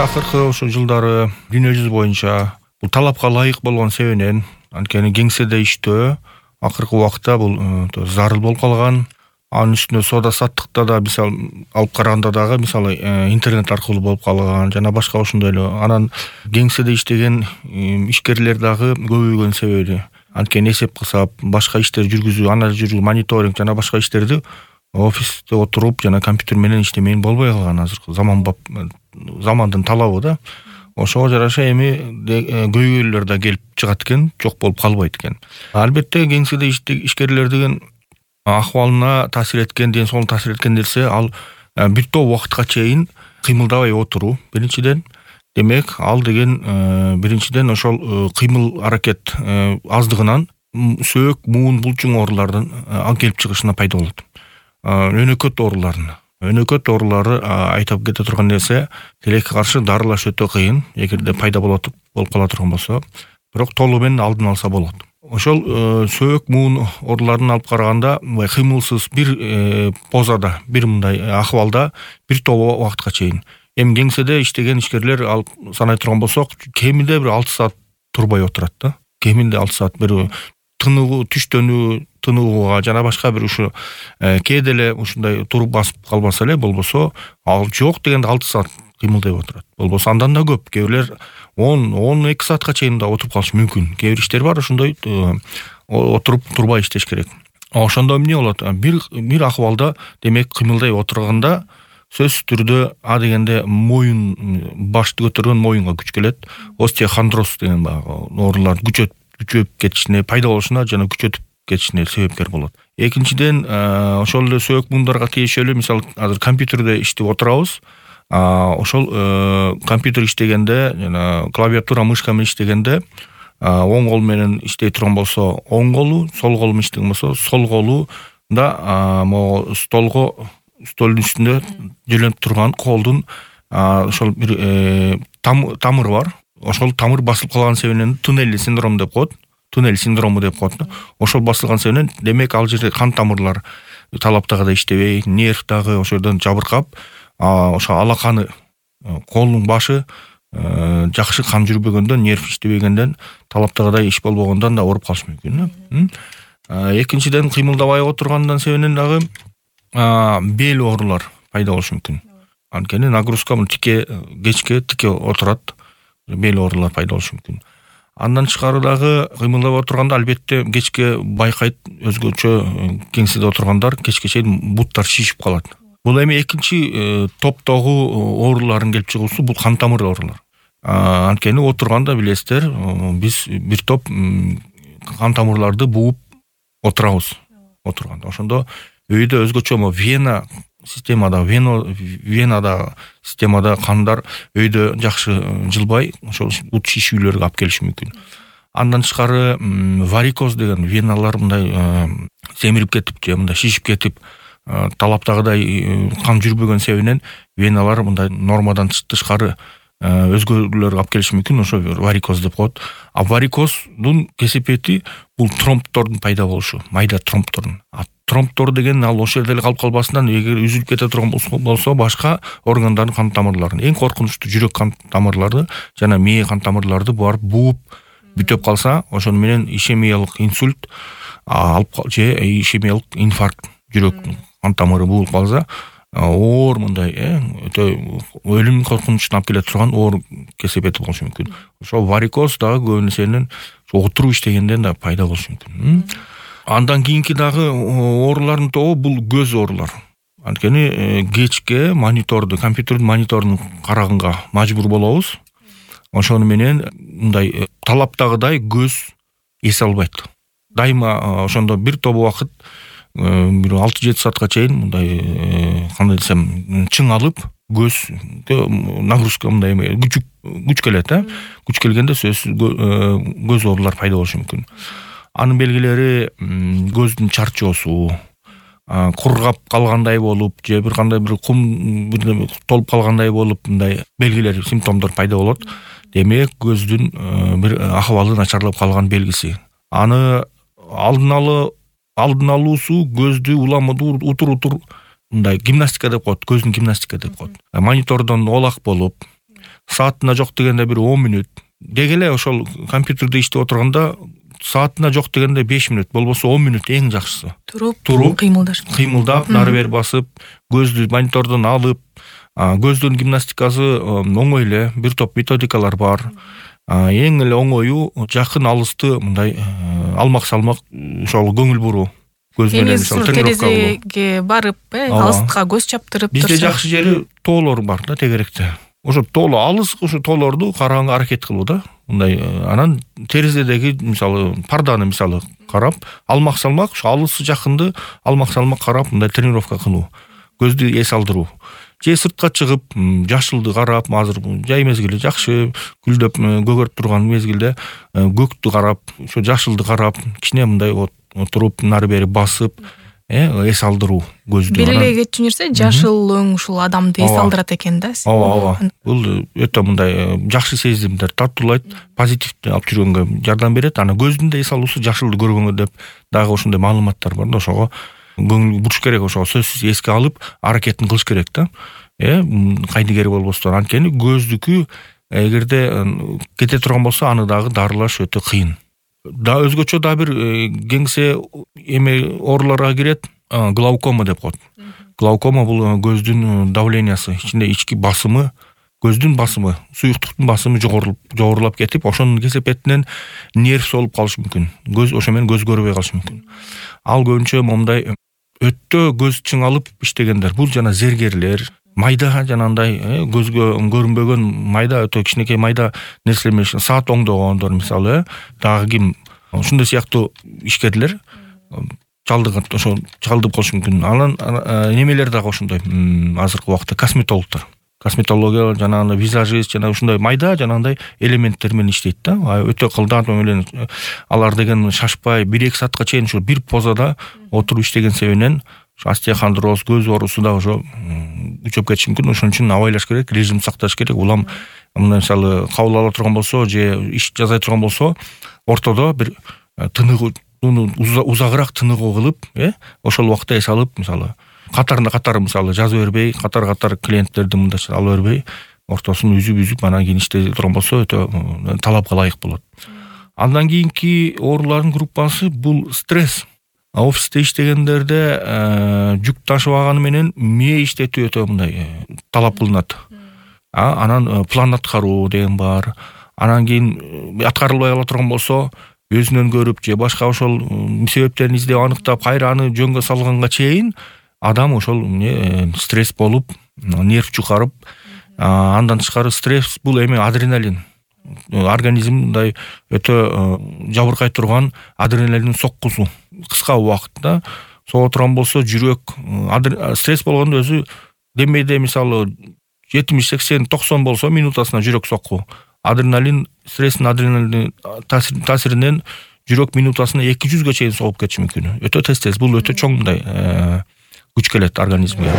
акыркы ошо жылдары дүйнө жүзү боюнча бул талапка ылайык болгон себебинен анткени кеңседе иштөө акыркы убакта бул зарыл болуп калган. Анын үстүнө соода саттыкта да мисалы алып караганда дагы мисалы интернет аркылуу болуп калган жана башка ошондой эле. Анан кеңседе иштеген ишкерлер дагы көбөйгөн себеби анткени эсеп кысап башка иштер жүргүзүү, анализ жүргүзүү, мониторинг жана башка иштерди офисте отуруп жана компьютер менен иштемей болбой калган азыркы замандын талабы да. Ошого жараша эми көйгөйлөр да келип чыгат экен, жок болуп калбайт экен. Албетте кеңседе ишкерлердин акыбалына таасир эткен, ден соолугуна таасир эткен нерсе ал бир топ убакытка чейин кыймылдабай отуруу. Биринчиден, демек ал деген биринчиден ошол кыймыл аракет аздыгынан сөөк, муун, булчуң оорулардын келип чыгышына пайда болот. Өнөкөт оорулары айтып кете турган нерсе, тилекке каршы дарылаш өтө кыйын, эгерде пайда болуп кала турган болсо, бирок толугу менен алдын алса болот. Ошол сөөк, муун ооруларын алып караганда, кыймылсыз бир позада, бир мындай акыбалда бир топ убакытка чейин. Эми кеңседе иштеген ишкерлер алып санай турган болсок, кеминде бир 6 саат турбай отурат да. Кеминде 6 саат бир тынуу, тынууга жана башка бир ушу кээде эле ушундай туруп басып калбаса эле болбосо, ал жок дегенде 6 саат кыймылдай отурат. Болбосо андан да көп, кээ бирлер 10-12 саатка чейин да отуруп калышы мүмкүн. Кээ бир иштер бар ошондой отуруп турбай иштеш керек. Ошондо эмне болот? Бир акыбалда демек кыймылдай отурганда сөзсүз түрдө дегенде моюн, башты көтөргөн моюнга күч келет. Остеохондроз деген баягы оорулар күчөп кетишине, пайда болушуна жана күчөтүп кетишине себепкер болот. Экинчиден, ошол эле сөөк муундарга тиешелүү, мисалы азыр компьютерде иштеп отурабыз. Ошол компьютер иштегенде жана клавиатура, мышка менен иштегенде оң кол менен иштей турган болсо оң колу, сол кол менен иштеген болсо сол колу да могу столдун үстүндө жөнөп турган колдун ошол бир тамыры бар. Ошол тамыр басылып калган себебинен туннель синдрому деп коет. Ошол басылган себебинен демек ал жерде кан тамырлар талаптагыдай иштебей, нерв дагы ошол жерден жабыркап, ошо алаканы, колдун башы жакшы кан жүрбөгөндөн, нерв иштебегенден, талаптагыдай иш болбогондон да ооруп калышы мүмкүн. Экинчиден, кыймылдабай отургандан себебинен дагы бел оорулар пайда болушу мүмкүн. Анткени нагрузка кечке тике отурат, бел оорулар пайда болушу мүмкүн. Андан тышкары дагы кыймылдап отурганда албетте кечке байкайт, өзгөчө кеңседе отургандар кечке чейин буттар шишип калат. Бул эми экинчи топтогу оорулардын келип чыгуусу бул кан тамыр оорулар. Анткени отурганда билесиздер, биз бир топ кан тамырларды бууп отурабыз. Отурганда ошондо өйдө өзгөчө венада системада кандар өйдө жакшы жылбай, ошол бут шишүүлөргө алып келиши мүмкүн. Андан тышкары варикоз деген веналар мындай семирип кетип же мындай шишип кетип, талаптагыдай кан жүрбөгөн себебинен веналар мындай нормадан тышкары өзгөрүүлөргө алып келиши мүмкүн. Ошо варикоз деп коет. Варикоздун кесепети бул тромбтордун пайда болушу, майда тромбтордун. Тромбтор деген ал ошол жерде эле калып калбасынан, эгер үзүлүп кете турган болсо башка органдардын кан тамырларын, эң коркунучтуу жүрөк кан тамырларды жана мээ кан тамырларды барып бууп бүтөп калса, ошону менен ишемиялык инсульт же ишемиялык инфаркт, жүрөк кан тамыры буулуп калса, оор мындай өтө өлүм коркунучуна алып келе турган оор кесепети болушу мүмкүн. Ошо варикоз дагы көбүнесе отуруп иштегенден да пайда болушу мүмкүн. Андан кийинки дагы оорулардын тобу бул көз оорулар. Анткени кечке компьютердин мониторун караганга мажбур болобуз. Ошону менен мындай талаптагыдай көз эс албайт. Дайыма ошондо бир топ убакыт, бир 6-7 саатка чейин мындай кандай десем, чың алып, көз нагрузка мындай күч келет, күч келгенде сөзсүз көз оорулар пайда болушу мүмкүн. Анын белгилери көздүн чарчоосу, кургап калгандай болуп, же бир кандай бир кум толуп калгандай болуп, мындай белгилер, симптомдор пайда болот. Демек, көздүн бир акыбалы начарлап калган белгиси. Аны алдын алуусу көздү уламады утур мындай гимнастика деп коет, көздүн гимнастика деп коет. Монитордон олак болуп, саатына жок дегенде бир 10 мүнөт. Деги эле ошол компьютерде иштеп отурганда саатына жок дегенде 5 мүнөт, болбосо 10 мүнөт эң жакшысы. Туруп кыймылдап, нары бери басып, көздү монитордон алып, көздүн гимнастикасы оңой эле, бир топ методикалар бар. Эң эле оңою жакын алысты мындай алмак салмак ошол көңүл буруу. Көз менен мисалы терезеге барып, алыстыкка көз чаптырып турса. Бизде жакшы жери тоолор бар да тегеректе. Ошо тоолор алыс, ошо тоолорду караганга аракет кылуу да. Мындай анан терезедеги мисалы парданы мисалы карап, алмак салмак, ошо алысы жакынды алмак салмак карап мындай тренировка кылуу. Көздү эс алдыруу. Же сыртка чыгып, жашылды карап, азыр жай мезгили жакшы гүлдөп көгөрүп турган мезгилде көктү карап, ошо жашылды карап, кичине мындай отуруп, нары бери басып, эс алдыруу көздү. Бир эле кетчү нерсе жашыл өң ушул адамды эс алдырат экен да. Ооба. Бул өтө мындай жакшы сезимдер тартуулайт, позитивди алып жүргөнгө жардам берет. Аны көздүн да эс алуусу жашылды көргөнгө деп дагы ошондой маалыматтар бар да, ошого көңүл буруш керек, ошого сөзсүз эске алып аракетин кылыш керек да. Кайдыгер болбостон, анткени көздүкү эгерде кете турган болсо аны дагы дарылаш өтө кыйын. Да өзгөчө да бир кеңсе ооруларга кирет, глаукома деп коет. Глаукома бул көздүн давлениясы, ички басымы, көздүн басымы, суюктуктун басымы жогорулап кетип, ошонун кесепетинен нерв солуп калышы мүмкүн. Көз ошо менен көз көрбөй калышы мүмкүн. Ал көбүнчө момундай өтө көз чыңалып иштегендер, бул жана зергерлер, майда жанагындай көзгө көрүнбөгөн майда, өтө кичинекей майда нерселер менен саат оңдогондор мисалы, дагы ким ушундай сыяктуу ишкерлер ошо чалдып калышы мүмкүн. Анан немелер дагы ошондой азыркы убакта косметологдор. Косметология жанагындай визажист жана ушундай майда жанагындай элементтер менен иштейт да. Өтө кылдат менен алар деген шашпай 1-2 саатка чейин ушул бир позада отуруп иштеген себебинен остеохондроз, көз оорусу да ошо күчөп кетиши мүмкүн. Ошон үчүн абайлаш керек, режим сакташ керек. Улам мына мисалы кабыл ала турган болсо же иш жасай турган болсо, ортодо бир тыныгуу узагыраак тыныгуу кылып, ошол убакта эс алып, мисалы катар мисалы жазып бербей, катар клиенттерди мындайча алып бербей, ортосун үзүп анан кийин иштей турган болсо өтө талапка ылайык болот. Андан кийинки оорулардын группасы бул стресс. Офисте иштегендерде жүк ташыбаганы менен мээ иштетүү өтө мындай талап кылынат. Анан план аткаруу деген бар. Анан кийин аткарылбай кала турган болсо, өзүнөн көрүп же башка ошол себептерин издеп аныктап, кайра аны жөнгө салганга чейин адам ошол стресс болуп, нерв чукарып, андан тышкары стресс бул адреналин. Организм мындай өтө жабыркай турган адреналиндин соккусу кыска убакытта сого турган болсо жүрөк стресс болгондо өзү демейде мисалы 70, 80, 90 болсо минутасына жүрөк сокку. Адреналин таасиринен жүрөк минутасына 200ге чейин согуп кетиши мүмкүн. Өтө тез, бул өтө чоң мындай күч келет организмге.